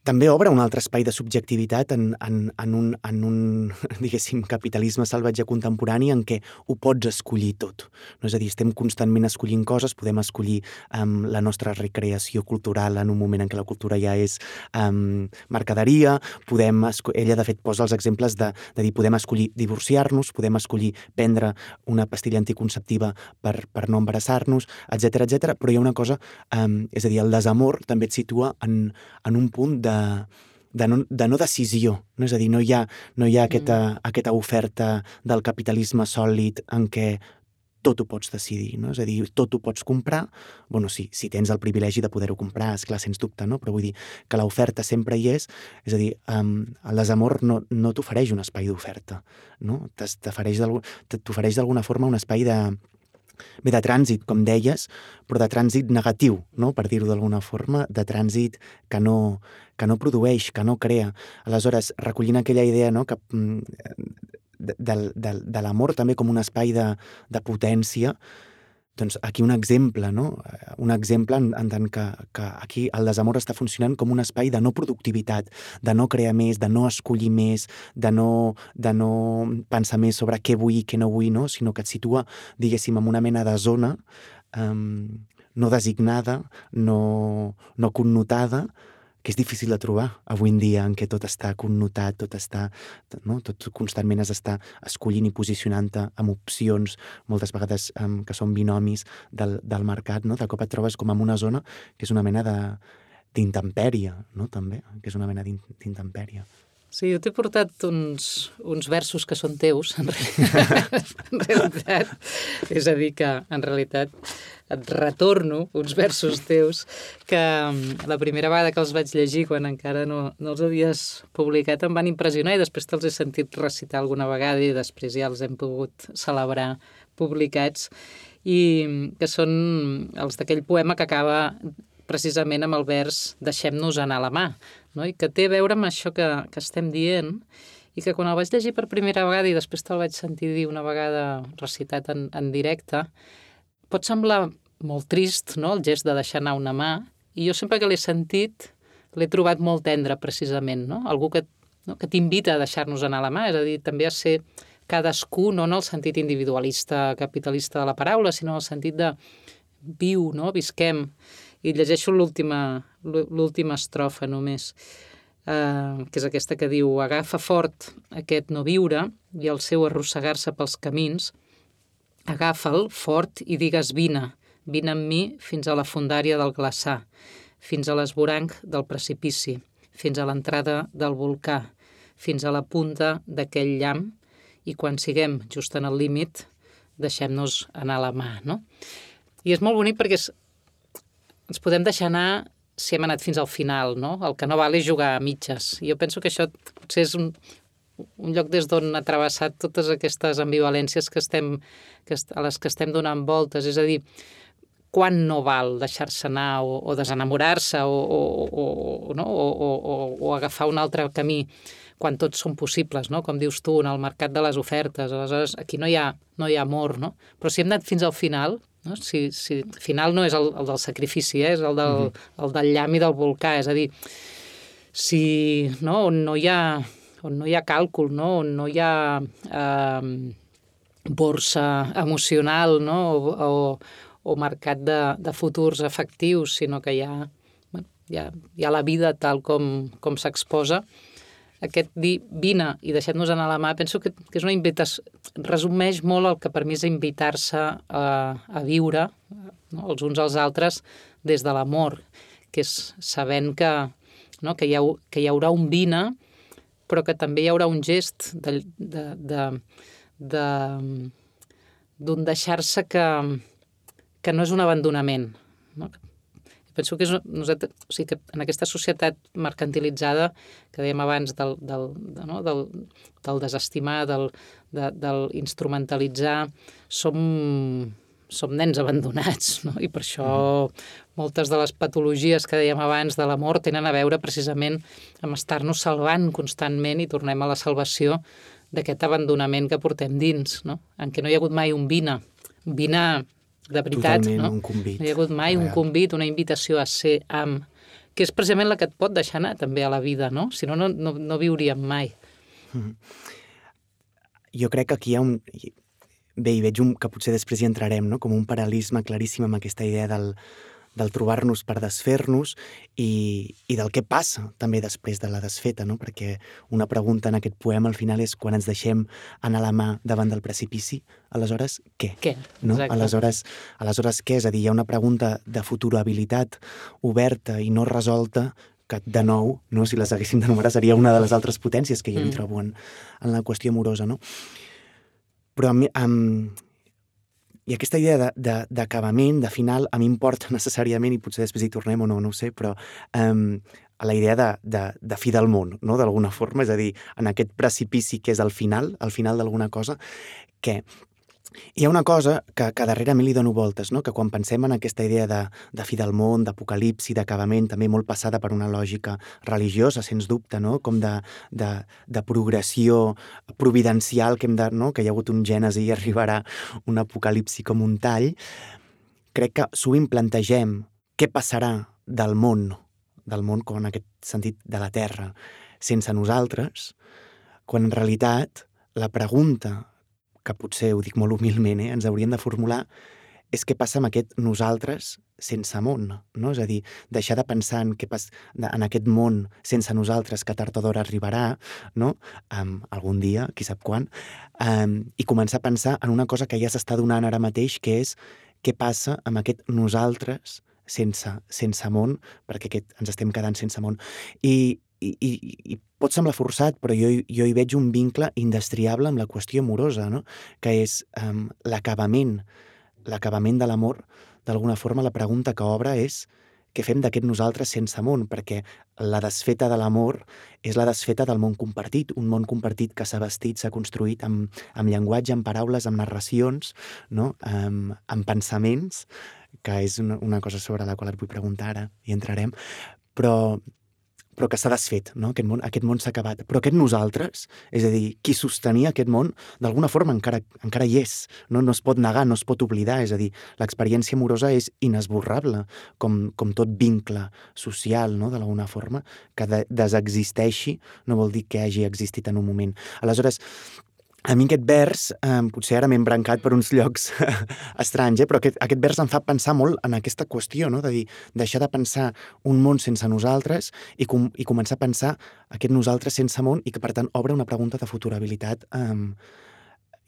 també obre un altre espai de subjectivitat en, en, en, un, en un, diguéssim, capitalisme salvatge contemporani en què ho pots escollir tot. No? És a dir, estem constantment escollint coses, podem escollir um, la nostra recreació cultural en un moment en què la cultura ja és um, mercaderia, podem ella de fet posa els exemples de, de dir podem escollir divorciar-nos, podem escollir prendre una pastilla anticonceptiva per, per no embarassar-nos, etcètera, etcètera. Però hi ha una cosa, um, és a dir, el desamor també et situa en, en un punt de De, de, no, de no decisió, no? És a dir, no hi ha, no hi ha aquesta, mm. aquesta oferta del capitalisme sòlid en què tot ho pots decidir, no? És a dir, tot ho pots comprar, bueno, sí, si tens el privilegi de poder-ho comprar, esclar, sens dubte, no? Però vull dir que l'oferta sempre hi és, és a dir, um, el desamor no, no t'ofereix un espai d'oferta, no? T'ofereix d'alguna forma un espai de bé, de trànsit, com deies, però de trànsit negatiu, no? Per dir-ho d'alguna forma, de trànsit que no, que no produeix, que no crea. Aleshores, recollint aquella idea, no? Que, de, de, de, de l'amor també com un espai de, de potència, doncs aquí un exemple, no? Un exemple en, en tant que, que aquí el desamor està funcionant com un espai de no productivitat, de no crear més, de no escollir més, de no, de no pensar més sobre què vull i què no vull, no? Sinó que et situa, diguéssim, en una mena de zona um, no designada, no, no connotada, que és difícil de trobar avui en dia, en què tot està connotat, tot està, no? Tot constantment has d'estar escollint i posicionant-te amb opcions, moltes vegades um, que són binomis del, del mercat, no? De cop et trobes com en una zona que és una mena de, d'intempèrie, no? També, que és una mena d'intempèrie. Sí, jo t'he portat uns, uns versos que són teus, en realitat. en realitat. És a dir, que en realitat et retorno uns versos teus que la primera vegada que els vaig llegir, quan encara no, no els havies publicat, em van impressionar i després te'ls he sentit recitar alguna vegada i després ja els hem pogut celebrar publicats, i que són els d'aquell poema que acaba precisament amb el vers «Deixem-nos anar la mà», no? I que té a veure amb això que, que estem dient, i que quan el vaig llegir per primera vegada i després te'l vaig sentir dir una vegada recitat en, en directe, pot semblar molt trist, no?, el gest de deixar anar una mà, i jo sempre que l'he sentit l'he trobat molt tendre, precisament, no? Algú que, no, que t'invita a deixar-nos anar la mà, és a dir, també a ser cadascú, no en el sentit individualista, capitalista de la paraula, sinó en el sentit de viu, no?, visquem. I llegeixo l'última l'última estrofa només, eh, que és aquesta que diu: agafa fort aquest no viure i el seu arrossegar-se pels camins, agafa'l fort i digues vine, vine amb mi fins a la fondària del glaçar, fins a l'esvoranc del precipici, fins a l'entrada del volcà, fins a la punta d'aquell llamp, i quan siguem just en el límit, deixem-nos anar la mà, no? I és molt bonic perquè és, ens podem deixar anar si hem anat fins al final, no? El que no val és jugar a mitges. I jo penso que això potser és un, un lloc des d'on ha travessat totes aquestes ambivalències que estem, que est, a les que estem donant voltes. És a dir, quan no val deixar-se anar o, o desenamorar-se o, o, o, no? o, o, o, o agafar un altre camí, quan tots són possibles, no? Com dius tu, en el mercat de les ofertes. Aleshores, aquí no hi ha, no hi ha amor, no? Però si hem anat fins al final, no? Si, si el final no és el, el del sacrifici, eh? És el del, uh-huh. el del llamp i del volcà. És a dir, si, no? on, no hi ha, on no hi ha càlcul, no? On no hi ha eh, borsa emocional, no? o, o, o mercat de, de futurs efectius, sinó que hi ha, bueno, hi ha, hi ha la vida tal com, com s'exposa. Aquest dir vine i deixem-nos anar a la mà, penso que, que és una invitació, resumeix molt el que per mi és invitar-se a, a viure, no? Els uns als altres des de l'amor, que és sabent que, no? que, hi ha, que hi haurà un vine, però que també hi haurà un gest de, de, de, de, d'un deixar-se que, que no és un abandonament, no? Penso que és, nosaltres, o sigui, que en aquesta societat mercantilitzada que dèiem abans del, del, de, no? del, del desestimar, del, de, del instrumentalitzar, som, som nens abandonats, no? I per això moltes de les patologies que dèiem abans de l'amor tenen a veure precisament amb estar-nos salvant constantment i tornem a la salvació d'aquest abandonament que portem dins, no? En què no hi ha hagut mai un vine, un vine de veritat, Totalment, no? un convit. No hi ha hagut mai real. Un convit, una invitació a ser amb, que és precisament la que et pot deixar anar també a la vida, no? Si no, no, no, no viuríem mai. Mm. Jo crec que aquí hi ha un... Bé, hi veig un, que potser després hi entrarem, no? Com un paral·lelisme claríssim amb aquesta idea del, del trobar-nos per desfer-nos i, i del què passa també després de la desfeta, no? Perquè una pregunta en aquest poema al final és quan ens deixem anar la mà davant del precipici, aleshores què? Què? No? Exacte. Aleshores, aleshores què? És a dir, hi ha una pregunta de futurabilitat oberta i no resolta que, de nou, no? Si les haguéssim d'enumerar, seria una de les altres potències que jo hi trobo en, en la qüestió amorosa, no? Però a mi, um, i aquesta idea d'acabament, de, de, de final, a mi em porta necessàriament, i potser després hi tornem o no, no ho sé, però um, a la idea de, de, de fi del món, no? D'alguna forma, és a dir, en aquest precipici que és el final, el final d'alguna cosa, que hi ha una cosa que, que darrere a mi li dono voltes, no? Que quan pensem en aquesta idea de, de fi del món, d'apocalipsi, d'acabament, també molt passada per una lògica religiosa, sens dubte, no? Com de, de, de progressió providencial, que, hem de, no? Que hi ha hagut un gènesi i arribarà un apocalipsi com un tall, crec que sovint plantegem què passarà del món, del món com en aquest sentit de la Terra, sense nosaltres, quan en realitat la pregunta que potser, ho dic molt humilment, eh, ens hauríem de formular, és què passa amb aquest nosaltres sense món, no? És a dir, deixar de pensar en, què pas, en aquest món sense nosaltres que tard o d'hora arribarà, no? Um, algun dia, qui sap quan, um, i començar a pensar en una cosa que ja s'està donant ara mateix, que és què passa amb aquest nosaltres sense, sense món, perquè aquest, ens estem quedant sense món. I, i, i, i pot semblar forçat, però jo, jo hi veig un vincle indestriable amb la qüestió amorosa, no? Que és um, l'acabament, l'acabament de l'amor. D'alguna forma, la pregunta que obre és què fem d'aquest nosaltres sense món, perquè la desfeta de l'amor és la desfeta del món compartit, un món compartit que s'ha vestit, s'ha construït amb, amb llenguatge, amb paraules, amb narracions, no? amb, amb pensaments, que és una, una cosa sobre la qual et vull preguntar ara, i entrarem, però... però que s'ha desfet, no? Aquest món, aquest món s'ha acabat. Però aquest nosaltres, és a dir, qui sostenia aquest món, d'alguna forma encara, encara hi és, no? No es pot negar, no es pot oblidar, és a dir, l'experiència amorosa és inesborrable, com, com tot vincle social, no? D'alguna forma, que de, desexisteixi no vol dir que hagi existit en un moment. Aleshores, a mi aquest vers, eh, potser ara m'he embrancat per uns llocs estranys, eh, però aquest, aquest vers em fa pensar molt en aquesta qüestió, no? De dir, deixar de pensar un món sense nosaltres i, com, i començar a pensar aquest nosaltres sense món i que, per tant, obre una pregunta de futurabilitat eh,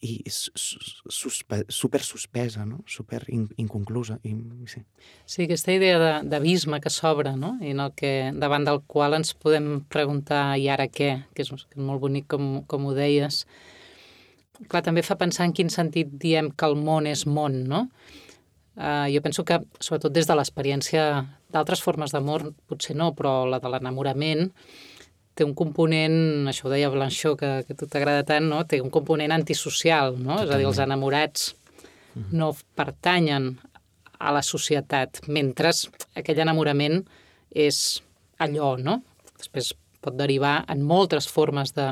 i suspe, super suspesa, no? Super in, inconclusa. I, sí. sí, aquesta idea d'abisme que s'obre, no? I en el que, davant del qual ens podem preguntar i ara què, que és, que és molt bonic com, com ho deies. Clar, també fa pensar en quin sentit diem que el món és món, no? Uh, jo penso que, sobretot des de l'experiència d'altres formes d'amor, potser no, però la de l'enamorament té un component, això ho deia Blanchot, que, que a tu t'agrada tant, no? Té un component antisocial, no? Totalment. És a dir, els enamorats mm. no pertanyen a la societat, mentre aquell enamorament és allò, no? Després pot derivar en moltes formes de,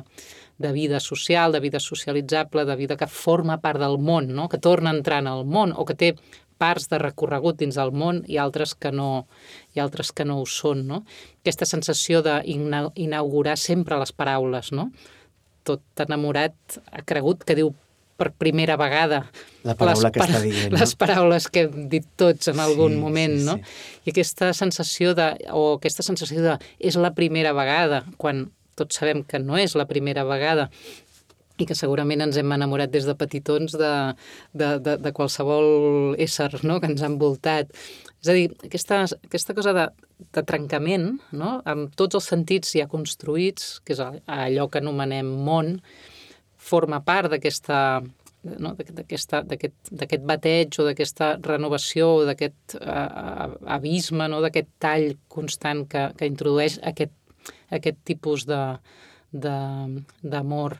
de vida social, de vida socialitzable, de vida que forma part del món, no? Que torna a entrar en el món o que té parts de recorregut dins del món i altres que no, i altres que no ho són, no? Aquesta sensació d'inaugurar sempre les paraules, no? Tot enamorat ha cregut que diu per primera vegada la paraula les, que està dient, no? Les paraules que hem dit tots en algun sí, moment, sí, no? Sí. I aquesta sensació de, o aquesta sensació de és la primera vegada, quan tots sabem que no és la primera vegada i que segurament ens hem enamorat des de petitons de, de, de, de qualsevol ésser, no? Que ens ha envoltat. És a dir, aquesta, aquesta cosa de, de trencament, no? Amb tots els sentits ja construïts, que és allò que anomenem món, forma part d'aquesta, no? d'aquest bateig o d'aquesta renovació o d'aquest uh, abisme, no? D'aquest tall constant que, que introdueix aquest, aquest tipus de, de, d'amor.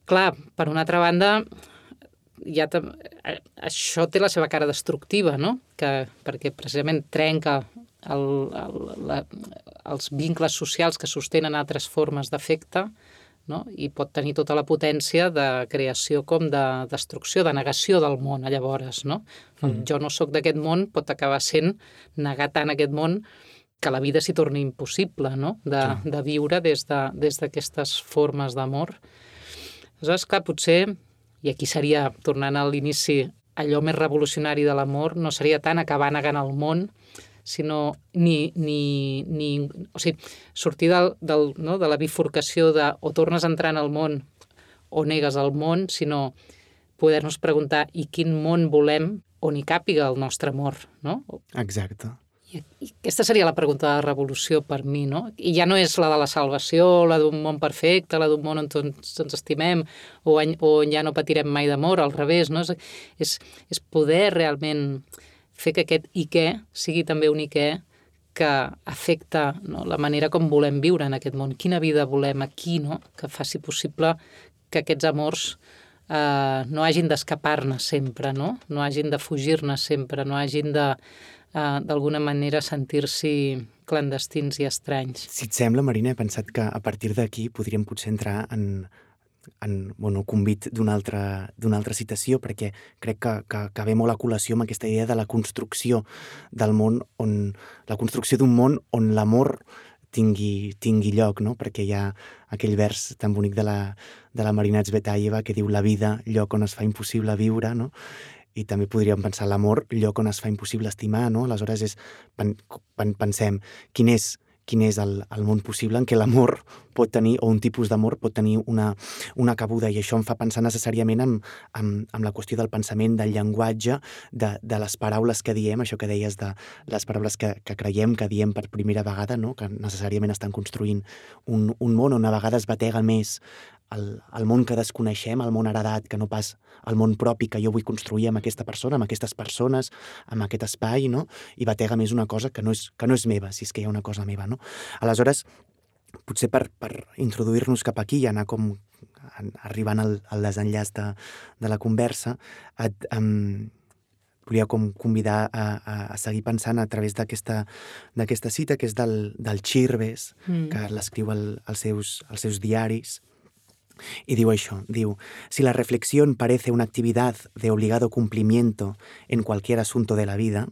Clar, per una altra banda, ja això té la seva cara destructiva, no? Que, perquè precisament trenca el, el, la, els vincles socials que sostenen altres formes d'afecte, no? I pot tenir tota la potència de creació com de destrucció, de negació del món, llavors, no? El jo no sóc d'aquest món pot acabar sent negar tant aquest món que la vida s'hi torni impossible, no? De, de viure des de, des d'aquestes formes d'amor. Aleshores, clar, potser, i aquí seria, tornant a l'inici, allò més revolucionari de l'amor no seria tant acabar negant el món, sinó ni, ni, ni, o sigui, sortir del, del, no, de la bifurcació de o tornes a entrar en el món o negues el món, sinó poder-nos preguntar i quin món volem on hi càpiga el nostre amor, no? Exacte. I, I aquesta seria la pregunta de la revolució per mi, no? I ja no és la de la salvació, la d'un món perfecte, la d'un món on tots ens estimem, o on, on ja no patirem mai d'amor, al revés, no? És, és, és poder realment fer que aquest i què sigui també un i què que afecta, no, la manera com volem viure en aquest món, quina vida volem aquí, no? Que faci possible que aquests amors eh, no hagin d'escapar-ne sempre, no? No hagin de fugir-ne sempre, no hagin de, eh, d'alguna manera, sentir-s'hi clandestins i estranys. Si et sembla, Marina, he pensat que a partir d'aquí podríem potser entrar en en bueno, convit d'una altra, d'una altra citació, perquè crec que, que, que ve molt a col·lació amb aquesta idea de la construcció del món, on, la construcció d'un món on l'amor tingui, tingui lloc, no? Perquè hi ha aquell vers tan bonic de la, de la Marina Tsvetaeva que diu la vida, lloc on es fa impossible viure, no? I també podríem pensar l'amor, lloc on es fa impossible estimar, no? Aleshores és, pen, pen, pensem, quin és quin és el, el món possible en què l'amor pot tenir, o un tipus d'amor pot tenir una, una cabuda, i això em fa pensar necessàriament en, en, en la qüestió del pensament, del llenguatge, de, de les paraules que diem, això que deies de les paraules que, que creiem, que diem per primera vegada, no? Que necessàriament estan construint un, un món on a vegades batega més el, el món que desconeixem, el món heredat, que no pas el món propi que jo vull construir amb aquesta persona, amb aquestes persones, amb aquest espai, no? I batega més una cosa que no és, que no és meva, si és que hi ha una cosa meva, no? Aleshores, potser per, per introduir-nos cap aquí i anar com arribant al, al desenllaç de, de la conversa, et, um, volia com convidar a, a, a seguir pensant a través d'aquesta d'aquesta cita, que és del, del Chirves, mm. que l'escriu al, als, seus, als seus diaris. Y digo eso, digo, si la reflexión parece una actividad de obligado cumplimiento en cualquier asunto de la vida,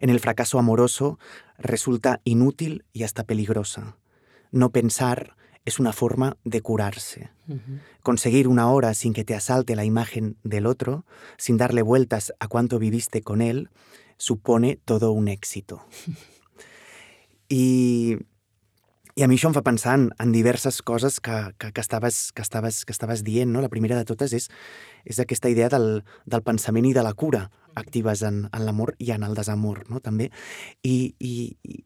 en el fracaso amoroso resulta inútil y hasta peligrosa. No pensar es una forma de curarse. Uh-huh. Conseguir una hora sin que te asalte la imagen del otro, sin darle vueltas a cuánto viviste con él, supone todo un éxito. I... I a mi això em fa pensar en, en diverses coses que, que, que, estaves, que, estaves, que estaves dient, no? La primera de totes és, és aquesta idea del, del pensament i de la cura actives en, en l'amor i en el desamor, no? També. I, i, i,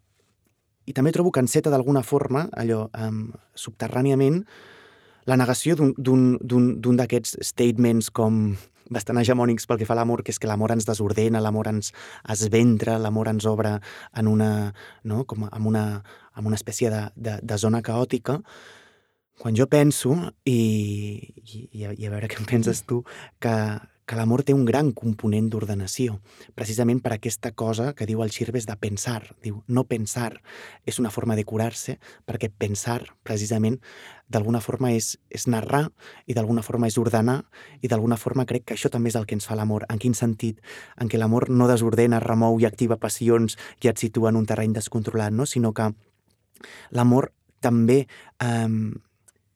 i també trobo que enceta d'alguna forma, allò, um, subterràniament, la negació d'un d'aquests statements com bastant hegemònics pel que fa a l'amor, que és que l'amor ens desordena, l'amor ens esventra, l'amor ens obre en una, no? Com en una, en una espècie de, de, de zona caòtica. Quan jo penso, i, i, i a veure què en penses tu, que, que l'amor té un gran component d'ordenació, precisament per aquesta cosa que diu el Chirves de pensar. Diu, no pensar és una forma de curar-se, perquè pensar, precisament, d'alguna forma és, és narrar, i d'alguna forma és ordenar, i d'alguna forma crec que això també és el que ens fa l'amor. En quin sentit? En què l'amor no desordena, remou i activa passions i et situa en un terreny descontrolat, no? Sinó que l'amor també eh,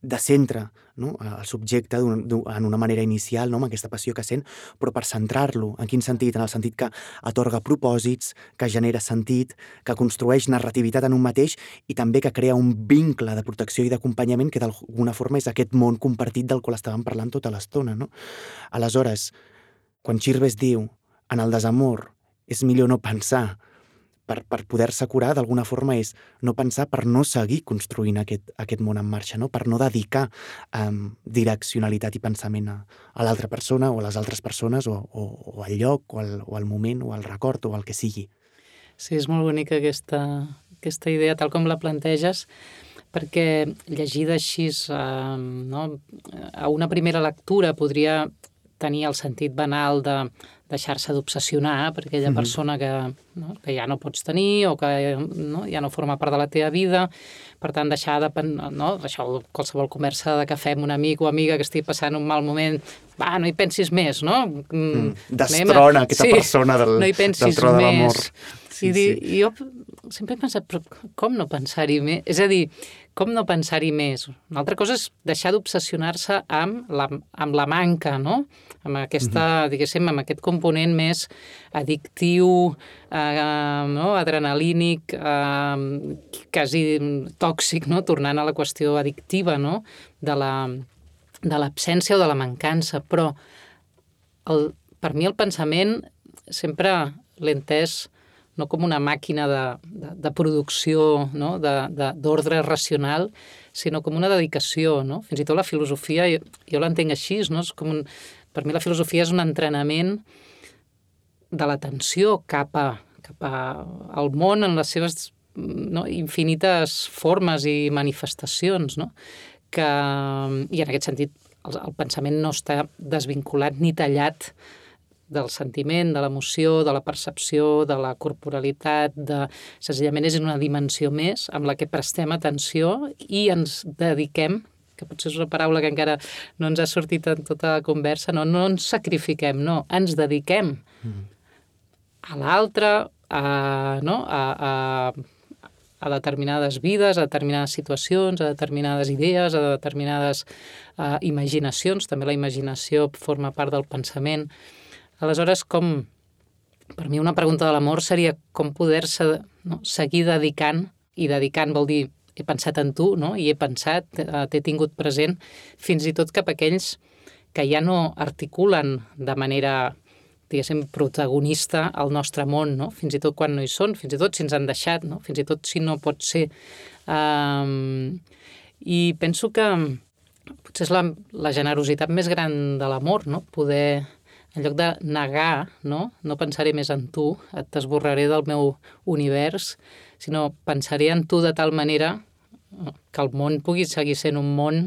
descentra, no? El subjecte un, un, en una manera inicial, no? Amb aquesta passió que sent, però per centrar-lo. En quin sentit? En el sentit que atorga propòsits, que genera sentit, que construeix narrativitat en un mateix i també que crea un vincle de protecció i d'acompanyament que d'alguna forma és aquest món compartit del qual estàvem parlant tota l'estona, no? Aleshores, quan Chirves diu en el desamor és millor no pensar per, per poder-se curar, d'alguna forma és no pensar per no seguir construint aquest, aquest món en marxa, no? Per no dedicar um, direccionalitat i pensament a, a l'altra persona o a les altres persones o, o, o al lloc o al, o al moment o al record o al que sigui. Sí, és molt bonica aquesta, aquesta idea, tal com la planteges, perquè llegida així, eh, no? A una primera lectura podria tenir el sentit banal de deixar-se d'obsessionar per aquella mm-hmm. persona que, no, que ja no pots tenir o que no, ja no forma part de la teva vida. Per tant, deixar de... No, això, qualsevol conversa de cafè amb un amic o amiga que estigui passant un mal moment, va, no hi pensis més, no? Mm, destrona aquesta sí, persona del, no hi pensis del tro de l'amor. Sí, I, sí. I jo sempre he pensat, però com no pensar-hi més? És a dir, com no pensar-hi més? Una altra cosa és deixar d'obsessionar-se amb la, amb la manca, no? Amb aquesta, mm-hmm. diguéssim, amb aquest component més addictiu, eh, no? adrenalínic, eh, quasi tòxic, no? Tornant a la qüestió addictiva, no? De la, de l'absència o de la mancança. Però el, per mi el pensament sempre l'he entès no com una màquina de, de, de producció, no? d'ordre racional, sinó com una dedicació. No? Fins i tot la filosofia, jo, jo l'entenc així, no? És com un, per mi la filosofia és un entrenament de l'atenció cap, a, cap a, al món en les seves no? infinites formes i manifestacions. No? Que, I en aquest sentit el, el pensament no està desvinculat ni tallat del sentiment, de l'emoció, de la percepció, de la corporalitat, de... senzillament és una dimensió més amb la que prestem atenció i ens dediquem, que potser és una paraula que encara no ens ha sortit en tota la conversa, no, no ens sacrifiquem, no, ens dediquem mm. a l'altre, a, no, a, a, a determinades vides, a determinades situacions, a determinades idees, a determinades a, imaginacions. També la imaginació forma part del pensament. Aleshores, com, per mi una pregunta de l'amor seria com poder-se no, seguir dedicant, i dedicant vol dir he pensat en tu, no? I he pensat, t'he tingut present, fins i tot cap a aquells que ja no articulen de manera, diguéssim, protagonista al nostre món, no? Fins i tot quan no hi són, fins i tot si ens han deixat, no? Fins i tot si no pot ser. Um, I penso que potser és la, la generositat més gran de l'amor, no? Poder... En lloc de negar, no, no pensaré més en tu, t'esborraré del meu univers, sinó pensaré en tu de tal manera que el món pugui seguir sent un món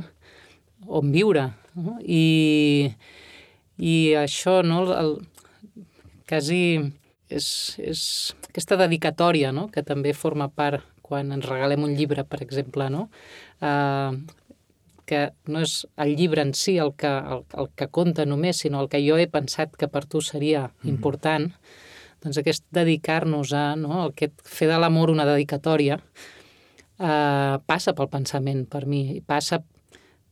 on viure. No? I, i això, no, el, quasi és, és aquesta dedicatòria, no, que també forma part quan ens regalem un llibre, per exemple, no? Uh, que no és el llibre en si el que, el, el que compta només, sinó el que jo he pensat que per tu seria important, mm-hmm. doncs aquest dedicar-nos a, no, aquest fer de l'amor una dedicatòria, eh, passa pel pensament per mi, i passa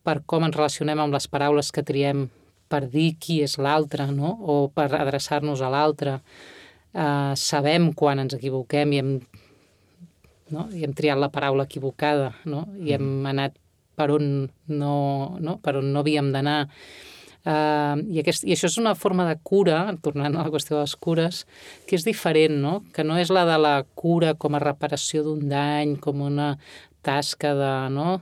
per com ens relacionem amb les paraules que triem per dir qui és l'altre, no? O per adreçar-nos a l'altre. Eh, sabem quan ens equivoquem i hem, no? I hem triat la paraula equivocada, no? I hem anat per on no, no? Per on no havíem d'anar. Uh, i, aquest, I això és una forma de cura, tornant a la qüestió de les cures, que és diferent, no? Que no és la de la cura com a reparació d'un dany, com una tasca de, no?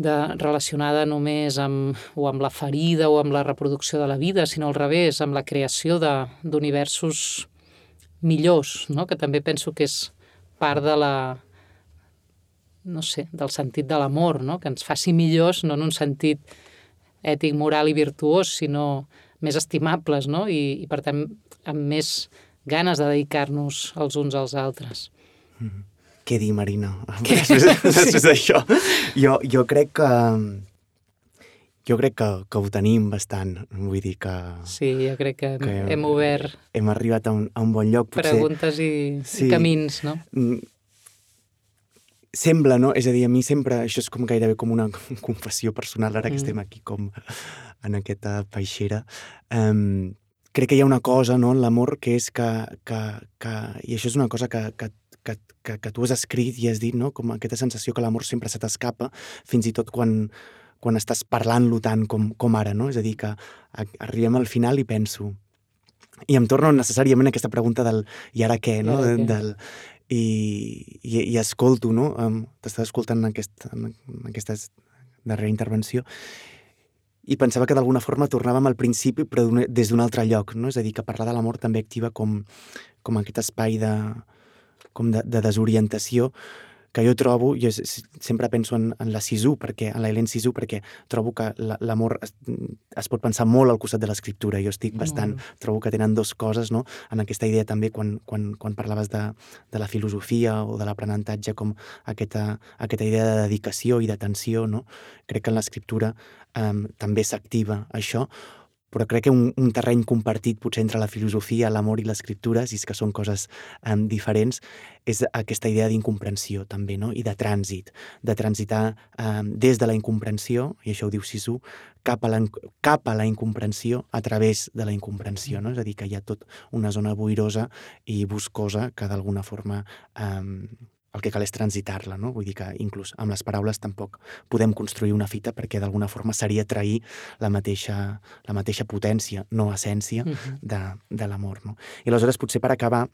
de, relacionada només amb, o amb la ferida o amb la reproducció de la vida, sinó al revés, amb la creació d'universos millors, no? Que també penso que és part de la... no sé, del sentit de l'amor, no? Que ens faci millors, no en un sentit ètic, moral i virtuós, sinó més estimables, no? I, i per tant, amb més ganes de dedicar-nos els uns als altres. Mm. Què dir, Marina? Després, després d'això. Jo, jo crec que... Jo crec que, que ho tenim bastant, vull dir que... Sí, jo crec que, que hem, hem obert... Hem arribat a un, a un bon lloc, potser... Preguntes i, sí. i camins, no? Mm. Sembla, no? És a dir, a mi sempre... Això és com gairebé com una confessió personal, ara que mm. estem aquí com en aquesta peixera. Um, crec que hi ha una cosa, no?, en l'amor, que és que, que, que... I això és una cosa que, que, que, que, que tu has escrit i has dit, no?, com aquesta sensació que l'amor sempre se t'escapa, fins i tot quan, quan estàs parlant-lo tant com, com ara, no? És a dir, que arribem al final i penso... I em torno necessàriament a aquesta pregunta del i ara què, no? I, ara què? Del, i, i, i escolto, no? Um, t'estava escoltant en, aquest, en aquesta darrera intervenció i pensava que d'alguna forma tornàvem al principi però des d'un altre lloc, no? És a dir, que parlar de l'amor també activa com, com aquest espai de, com de, de desorientació que jo trobo, jo sempre penso en, en la Sisu, perquè, en la Hélène Cixous, perquè trobo que l'amor es, es pot pensar molt al costat de l'escriptura. Jo estic bastant, mm. trobo que tenen dues coses, no? En aquesta idea també, quan, quan, quan parlaves de, de la filosofia o de l'aprenentatge, com aquesta, aquesta idea de dedicació i d'atenció, no? Crec que en l'escriptura eh, també s'activa això, però crec que un, un terreny compartit potser entre la filosofia, l'amor i l'escriptura, si és que són coses um, diferents, és aquesta idea d'incomprensió també, no? I de trànsit, de transitar um, des de la incomprensió, i això ho diu Cixous, cap a la, cap a la incomprensió a través de la incomprensió, no? És a dir, que hi ha tot una zona boirosa i boscosa que d'alguna forma um, el que cal és transitar-la, no? Vull dir que inclús amb les paraules tampoc podem construir una fita perquè d'alguna forma seria trair la mateixa, la mateixa potència, no essència, uh-huh. de, de l'amor, no? I aleshores, potser per acabar,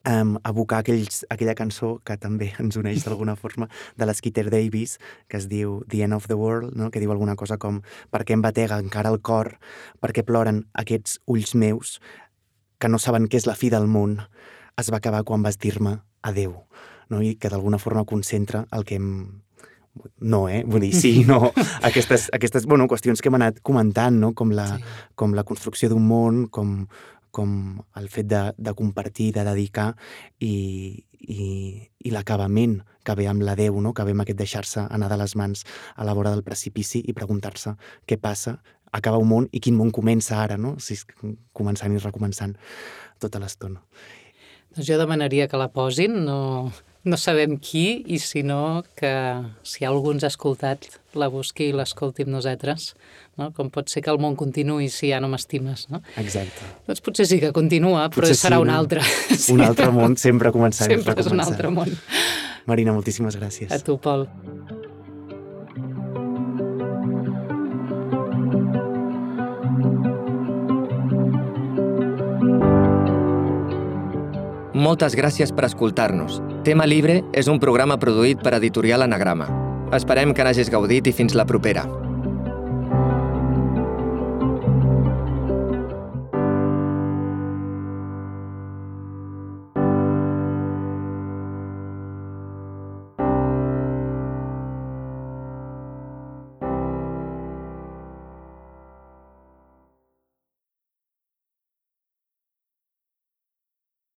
um, evocar aquells, aquella cançó que també ens uneix d'alguna forma de l'Skeeter Davis, que es diu The End of the World, no? Que diu alguna cosa com per què em batega encara el cor, per què ploren aquests ulls meus que no saben què és la fi del món, es va acabar quan vas dir-me adeu. No? I que d'alguna forma concentra el que hem... No, eh? Vull dir, sí, no. Aquestes, aquestes bueno, qüestions que hem anat comentant, no? Com la, sí. com la construcció d'un món, com, com el fet de, de compartir, de dedicar i, i, i l'acabament que ve amb l'adeu, no? Que ve amb aquest deixar-se anar de les mans a la vora del precipici i preguntar-se què passa, acaba un món i quin món comença ara, no? Si és començant i recomençant tota l'estona. Doncs jo demanaria que la posin, no, no sabem qui, i si no, que si algú ens ha escoltat, la busqui i l'escolti amb nosaltres, no? Com pot ser que el món continuï si ja no m'estimes, no? Exacte. Doncs potser sí que continua, però potser serà sí, un no? altre. Un altre món, sempre començant i sempre és un altre món. Marina, moltíssimes gràcies. A tu, Pol. Moltes gràcies per escoltar-nos. Tema Libre és un programa produït per Editorial Anagrama. Esperem que n'hagis gaudit i fins la propera.